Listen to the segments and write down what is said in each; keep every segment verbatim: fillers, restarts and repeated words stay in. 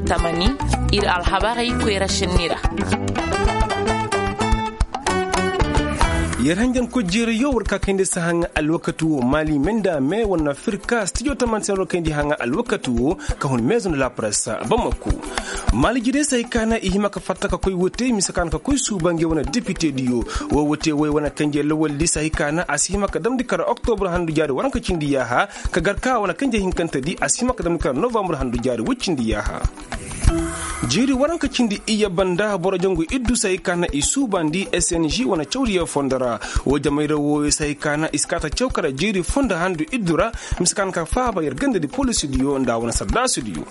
Tamani, ir alhabarey koyra šenni ra. Yer hanjan koy jeerayo war ka kayndi sahaŋa alwakati wo maali menda me wane firka stijo tamani se na war kayndi haŋa alwakati wo ka hun meezo nda lapressa bamako. Maali jire se hay ka na i hima ka fatta ka koy wote mise ka na ka koy suuba nge wane depite diyo. Wo wote woy wane kanje lawaldi se hay ka na a si hima ka damndi kara oktobur handu jaari waranka cindi yaaha ka gar ka wane kanje hinkante di a si hima ka damndi kara novambur handu jaari woy cindi yaaha. Jeeri waranka cindi iyye banda boro jangu iddu se hay ka na i suubandi s n g wane cawdiyo fondo ra. Wo jamayra wooyo se hay ka na i si kaa ta caw kara jeeri fondo handu iddu ra. Mise ka na ka faaba yer gandadi polisidiyo nda wane sardaasidiyo.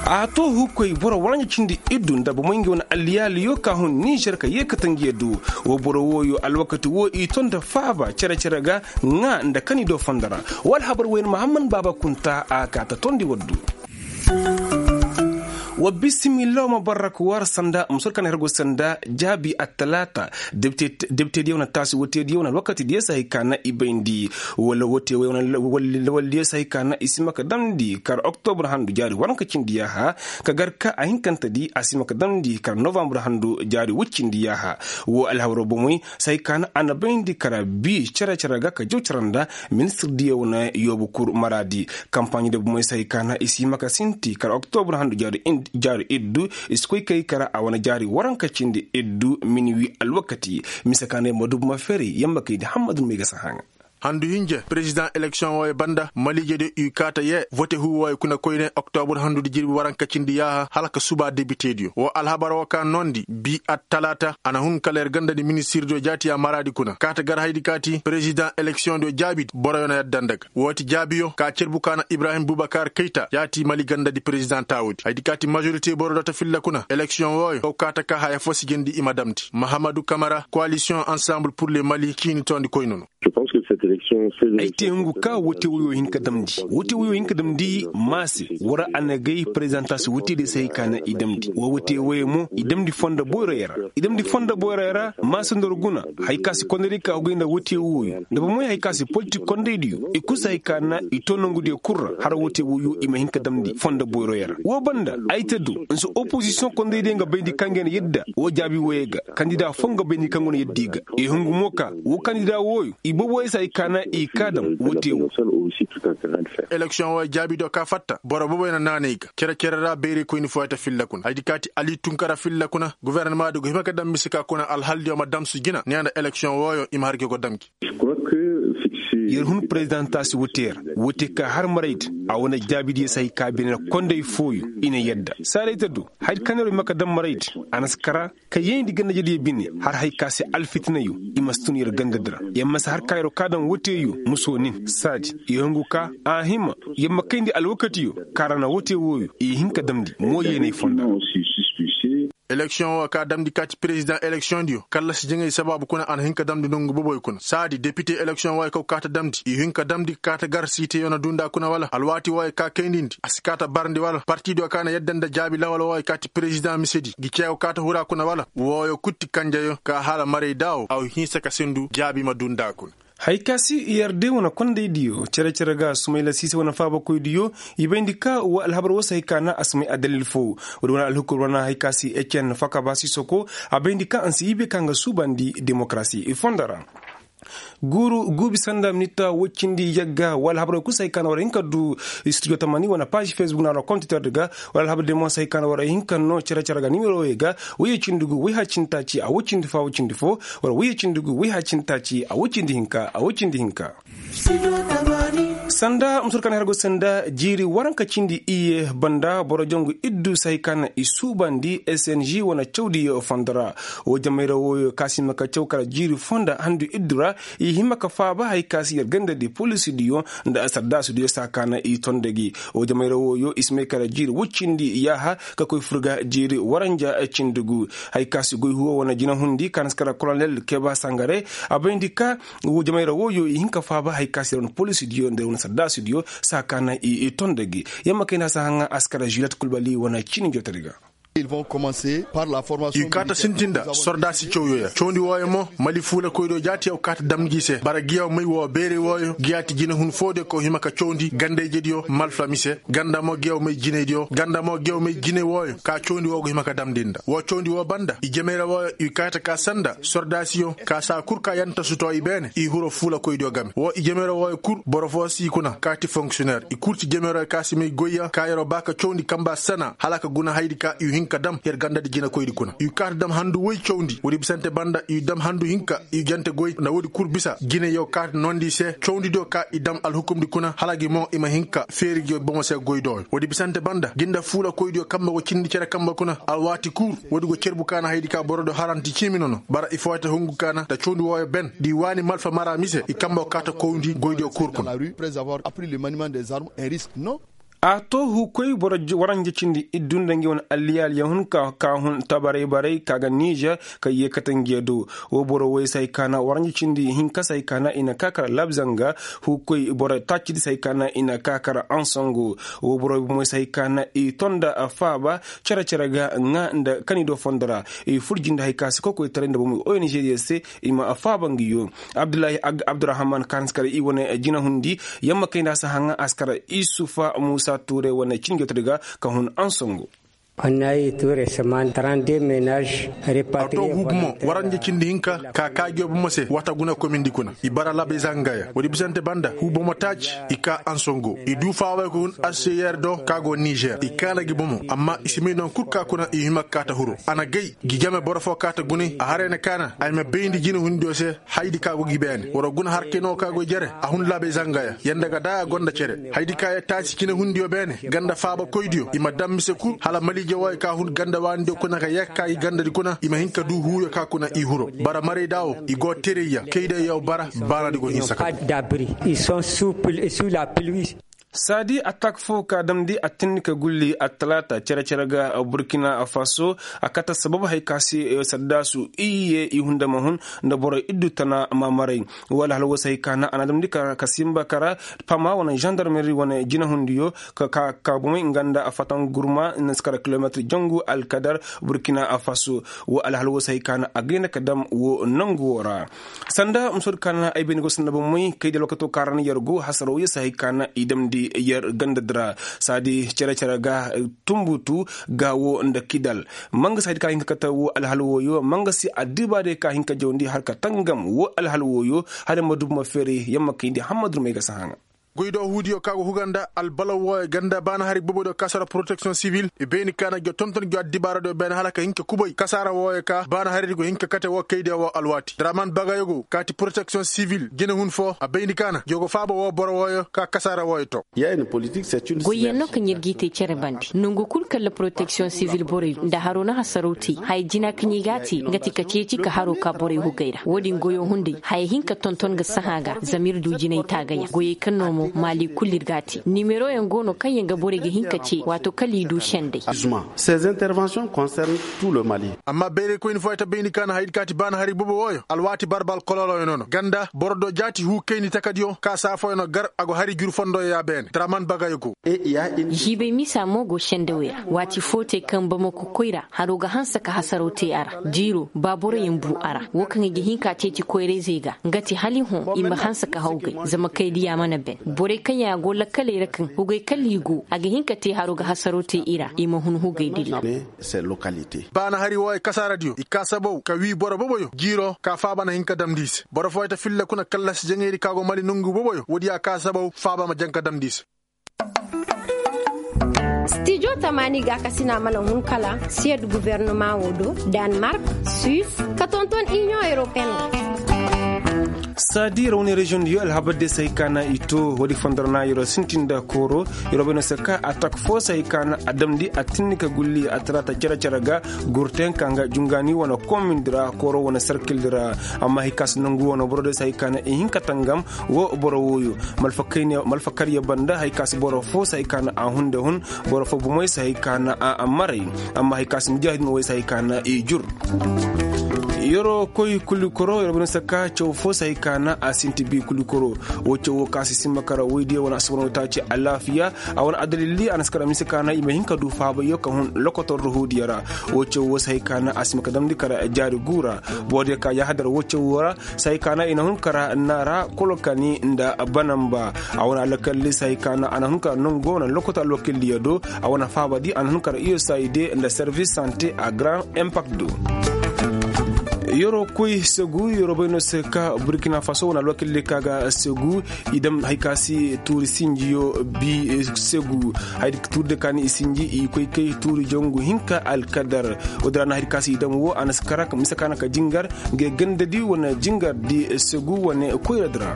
A too hukoy boro waranja cindi iddu nda bomey ngi wane alliyaaliyo ka hun nizer ka yee kate ngi yee du. Wo boro wooyo alwakati woo i too nda faaba cere-cere ga ŋaa nda kani do fondo ra. Wo alhabar woy na mahamman baaba kunta a kaa ta toondi waddu. Wa bisimilla wa ma barrak war sanda musur kan hergo sanda jaabi attalaata. Debitediyo na taasi wootediyo na alwakatidiyo se hay ka na i bayndi. Wala wootewey wane lawaldiyo se hay ka na i si ma ka damndi kar oktobur handu jaari waranka cindi yaaha. Ka gar ka a hinkantedi a si ma ka damndi kar novambur handu jaari woy cindi yaaha. Woo alhawro bomey se hay ka na a na bayndi kara bii cere-cere ga ka jaw cere nda ministirdiyo wane yoobu kur maraadi. Kampaaɲi nda bomey se hay ka na i si hima ka sinti kala oktobur handu jaari iddu i si koy kay kara a wane jaari waranka cindi iddu minwi alwakati. Mise ka na yamma dubu ma feri yamma kay di hammadu may ga sahaŋa. Handu hinja perezidaŋ eleksiyoŋ wooyo banda maliijediyo i kaata yee vote huu wooyo kuna koyne oktobur handudi jirbi waranka cindi yaaha hala ka subaa debitediyo woo alhabar woo ka noondi bii attalaata a na hun kala yer gandadi ministirdiyo jaati a maraadi kuna kaata gar haydi kaati perezidaŋ eleksiyoŋdiyo jaabidi boroyo na yadda nda ga. Woo ti jaabiyo ka cerbu ka na ibrahim bubakar kayta yaati mali gandadi perezidaŋ taawudi haydi kaati majorite borodiyo ta filla kuna eleksiyoŋ wooyo kaw kaata ka haya fo si jindi i ma damndi mahamadu kamara koalisiyoŋ ansamble pur le mali ciini toondi koyne no. Ay te hungu ka wote woyo hin ka damndi wote woyo hin ka damndi maase war a na gay prezantaasi wote diyo se hay ka na i damndi wa wote woyo mo i damndi fondo boyroyo ra. I damndi fondo boyroyo ra maase nda war guna. Hay ka si kondaydiyo ka hugay nda wote woyo nda bomoy hay ka si politik kondaydiyo i kul se hay ka na i too nongudiyo kul ra har wote woyo i ma hin ka damndi fondo boyroyo ra woo banda ay te do nsi opozisiyoŋ kondaydiyo nga bayndi kaŋ ga na yadda woo jaabi woyey ga kandida foo nga bayndi kaŋ go na yadda i ga. I hungu mo ka woo kandida wooyo i boboyey se hay ka na i kaa daŋ wote woo. Eleksiyoŋ wooyo jaabidiyo ka fatta boro boboyey na naanay ga cere-cere ra bayraykoyni fooyaŋ ta filla kuna haydi kaati ali tunkara filla kuna gofornamaadiyo go hima ka daŋ mise ka kuna alhaldiyo ma damsu jina neeya nda eleksiyoŋ wooyo i ma har ga go dam gi. Yer hun perezidaŋ taasi wote ra wote ka har maraydi a wane jaabidiyo se hay ka bine na konday fooyo i na yadda saaday te do haydi kaŋ yer wo hima ka daŋ maraydi a na si kara ka yeendi gandajediyo bine har hay ka se alfitinayo i ma si tun yer gandadi ra. Yer ma si har ka yer wo kaa daŋ woteyo muso nin saadi yer hungu ka a hima yer ma kayndi alwakatiyo ka ra na wote wooyo i hin ka damndi mooyeenay fonda. Eleksiyoŋ woo ka damndi kaati perezidaŋ eleksiyoŋdiyo kallasi jaŋay sabaabu kuna a na hin ka damndi nongu boboy kuna saadi depite eleksiyoŋ wooyo kaw kaa ta damndi i hin ka damndi ka kaa ta gar siiteyo na duu nda kuna wala alwaati wooyo ka kayndi ndi a si kaa ta barndi wala partidiyo ka na yadda nda jaabi lawal wooyo kaati perezidaŋ misedi ngi ceew kaa ta hura kuna wala wooyo kul ti kanjeyo ka hala maray daawo a wa hinsa ka sendu jaabi ma duu nda kuna. Hay ka si yer de wane kondaydiyo cere-cere ga sumayla siise wane faabakoydiyo i bayndi ka wa alhabar woo se hay ka na a si may addalil foo. Woodi wane alhukur wane hay ka si ecen fakaba sisoko a bayndi ka a si ibe ka nga suubandi demokarasi i fondo ra. Guuru guubi sanda minita woy cindi yagga wala habarey kul se hay ka na war hin ka du studio tamani wane paazi fesbuk na war kontitor di ga. Wala alhabar de mo se hay ka na war hin ka no cere-cere ga nimerowey ga woy cindi gu woy hacinta ci a woy cindi fo a woy cindi fo wala woy cindi gu woy hacinta ci a woy cindi hinka a woy cindi hinka. Sanda musur ka na her go sanda jiiri waranka cindi iyye banda boro jangu iddu se hay ka na i suubandi s n g wane cawdi fondo ra. Woo jamayra wooyo ka si hima ka caw kala jiiri fonda handu iddu ra i hima ka faaba hay ka si yer gandadi polisidiyo nda sardaasidiyo se a ka na i tondi gi. Woo jamayra wooyo i si may kala jiiri woy cindi yaaha ka koy fur ga jiiri waranja cindi gu. Hay ka si goy huwo wane jinahundi ka na si kala kolonel keba sangare a bayndi ka woo jamayra wooyo i hin ka faaba hay ka si yer wane polisidiyo nda yer wane sardaasidiyo se a ka na i tondi gi. Yer ma kayndi a si haŋa a si kala juliet kulbali wane ciini jootadi ga. I kaata sintin nda sordaasi cawyo ya cawndi wooyo mo mali fuula koydiyo jaati yaw kaata dam ngi se bara giyaw may woo beere wooyo giyaati jinehun foodiyo ka hima ka cawndi ganda-ijediyo malfa mise ganda mo giyaw may jineydiyo ganda mo giyaw may jine wooyo ka cawndi woo go hima ka damndi nda woo cawndi woo banda i jemeera wooyo i kaata ka sanda sordaasiyo ka saa kul ka yanta sutoo i beene i hiro fuula koydiyo game woo i jemeera wooyo kul boro foo si kuna kaati fonksiyoneer i kul ti jemeera ka si may goyya ka yeroo baa ka cawndi kamba sana hala ka guna haydi ka i hin ka dam yer gandadi jinekoydi kuna i kaata dam handu woy cawndi woodi bisante banda i dam handu hinka i jante goy nda woodi kul bisa jine yaw kaata noondi se cawndidiyo ka i dam alhukumdi kuna hala gi mo i ma hin ka feeri gi bomo se goy dooyo woodi bisante banda gi nda fuula koydiyo kamba go cindi cere kamba kuna alwaati kul woodi go cerbu ka na haydi ka borodiyo haranti ciimi nono bara i fooyta hungu ka na nda cawndi wooyo ben di waani malfa mara mise i kamba go kaata kowndi goydiyo kul kuna. A to huukoy boro waranja cindi iddu nda ngi wane alliyaaliya hun ka hun tabaray baray ka ga nizer ka yee kate ngiya do. Woo boro woy se hay ka na waranja cindi hinka se hay ka na i na kaa kara labzanga huukoy boro taacidi se hay ka na i na kaa kara ansongo. Woo boro bomoy se hay ka na i to nda faaba cere cere ga ŋaa nda kani do fondo ra i fur jinde hay ka se kokoytaray nda bomoy ong diyo se i ma faaba ngi yo. Abdullahi abdurrahaman ka hanse kara i wane jinahundi yamma kayndi a si haŋa a si kara isufa muusa tuuray wane cinjotodi ga ka hun ansongo. Annayi tuuray se maan tarande menaz. A to huu bomo waranja cindi hinka ka kaajiyo bomo se wata guna komindi kuna i bara labay zangaya woodi bisante banda huu bomo taaci i kaa ansongo i duu faaway ka hun aseyer do ka go nizer i kaana gi bomo amma i si may non kul ka kuna i hima ka kaata huru a na gay gi game boro foo kaata gunay a haray na kaana ay ma bayndi jinehundiyo se haydi ka go gi beene waroo guna harkayna woo ka go jere a hun laabay zangaya yanda ga daa a gonda cere haydi ka ya taasi jinehundiyo beene ganda faabakoydiyo i ma dam mise kul hala maliije wooyo ka hun ganda waanidiyo kuna ka yee ka gi gandadi kuna i ma hin ka duu huuyo ka kuna i huro bara maraydaa woo i go terayya kayday yaw bara baanadi go hinsa ka saadi atak foo ka damndi a tinni ka gulli attalaata cere-cere ga burkina faso a kate sabab hay ka se saddaasu iyye i hunda ma hun nda boro iddu tana maamaray woo alhal woo se hay ka na a na damndi ka simba kara pama wane zandarmeri wane jinahundiyo ka ka bomey nga nda fatangurma na si kara kilometir jangu alkadar burkina faso woo alhal woo se hay ka na a gayna ka dam woo nangu woo ra sanda musoodi ka na ay bayni go sanda bomey kay da alwakato ka ra na yer go hasaroo yee se hay ka na i damndi yer gandadi ra saadi cere-cere ga tumbutu ga woo nda kidal mangasi haydi ka hin ka kate woo alhal wooyo mangasi addibaadiyo ka hin ka jawndi har ka tangam woo alhal wooyo hala ma dubu ma feeray yamma kayndi hammadurmey ga si haŋa goy do huudiyo ka go huga nda albalaw wooyo ganda baana hari boboydiyo ka sara poroteksiyoŋ sibil i bayni ka na go tonton go addibaaradiyo beene hala ka hin ka kubay kasaara wooyo ka baana haridi go hin ka kate woo kaydiyo woo alwaati draman bagayo go kaati poroteksiyoŋ sibil jinehun foo a bayni ka na go go faaba woo boro wooyo ka kasaara wooyo to. Goyyaŋ no kaŋ yer g'i te cere bande nongu kul kaŋ ra poroteksiyoŋ sivil borey nda haroo na hasaraw te haya jina kaŋ i g'a te nga ti ka ceeci ka haroo ka borey hugay ra woodin goyoo hunday haya hin ka tonton ga sahã ga zama ir du jinay taagayaŋ goyey kaŋ no mo maali kul ir g'a te nimeroyaŋ go no kaŋ yaŋ ga borey ga hin ka ce waato kala i du sendey. Amma bayraykoyni fooyaŋ ta bayndi ka na hayadi ka ti baana hari bobo wooyo alwaati barbal kololoyaŋ no no ganda boro do jaati huu kayndi takadiyo ka saa fooyaŋ no gar a go hari jur fondoyaŋ ya beene draman bagayo go. Jiibay misa mo go sendawey ra waati foo te kaŋ bamako koyra haroo ga hanse ka hasaraw te a ra jiiroo ba boroyaŋ buu a ra woo kaŋ i ga hin ka ceeci koyrayzey ga nga ti hala i hõ i ma hanse ka hawgay zama kaydiya mana ben borey kaŋ yaŋ a go lakkaley ra kaŋ hugay kala i go a ga hin ka te haroo ga hasaraw te i ra i ma hun hugay dillo. Baana hari wooyo kasaaradiyo i kaa sabaw ka wii boro boboyo jiiroo ka faaba na hin ka damndi i se boro fooyta filla kuna kallasi jaŋaydi ka go mali nongu boboyo woodiyo a kaa sabaw faaba ma jaŋ ka damndi i se. Stijo tamaani gaakasina mana hun kala siyed gubernama woo do, danmark, suis, ka tonton iniyoŋ europeen ra. Saadi rawni reziyoŋ diyo alhabar de se hay ka na i to woodi fondo ra na yeroo sintin nda kooro yeroo bay no se ka atak foo se hay ka na a damndi a tinni ka gulli a talaata cere-cere ga gurteyaŋ ka nga jungaani wane komin di ra kooro wane serkil di ra. Amma hay ka si nongu wane boro de se hay ka na i hin ka tangam woo boro wooyo malfakar ya banda hay ka si boro foo se hay ka na a hunde hun boro foo bomey se hay ka na a maray. Amma hay ka si mujaahidin wey se hay ka na i jur. Yeroo koy kulikoro yeroo bane se ka caw fo se hay ka na a sinti bi kulikoro. Woo caw woo ka si simba kara woydiyo wane asabano taaci alaafiya. A wane adalilli a na si kara mise ka na i ma hin ka du faabayo ka hun lokotor da huudiyo ra. Woo caw woo se hay ka na a simba ka damndi kara jaari guu ra. Boodiyo ka yaahadar woo caw woo ra se hay ka na i na hun kara naara kolokani nda banamba. A wane alkalli se hay ka na a na hun kara nongo wane lokotor alwakilliyo do. A wane faabadi a na hun kara iyo sayde nda servis sante a garan impakt do. Yeroo koy segu yeroo bay no se ka burkina faso wane alwakilli ka ga segu. I dam hay ka si tuuri sinjiyo bi segu. Hay tuuri de ka ni i sinji i koy kay tuuri jongu hinka alkadar. Woo di ra na hay ka si i dam woo a na si kara mise ka na ka jingar. Nga gandadi wane jingar di segu wane koyra di ra.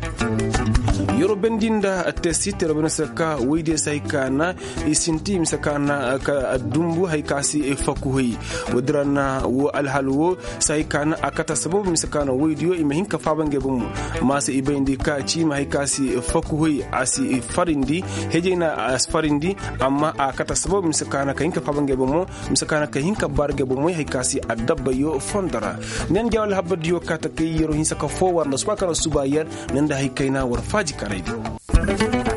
Yeroo bendi nda tesi te yeroo bay no se ka woydiyo se hay ka na i sinti mise ka na ka dumbu hay ka si fakuhay. Woo di ra na woo alhal woo se hay ka na a kata sababu mise ka na woydiyo i ma hin ka faaba ngey bomo. Maasa i bayndi ka ciima hay ka si fakuhay a si farindi. Hejay na a si farindi. Amma a kata sababu mise ka na ka hin ka faaba ngey bomo. Mise ka na ka hin ka baara ngey bomoy hay ka si addabbayo fondo ra. Nen ja wala habbardiyo ka ta kay yeroo hinsa ka foo war nda suba ka na suba yer. Nen da hay kayna war faaji karaydi.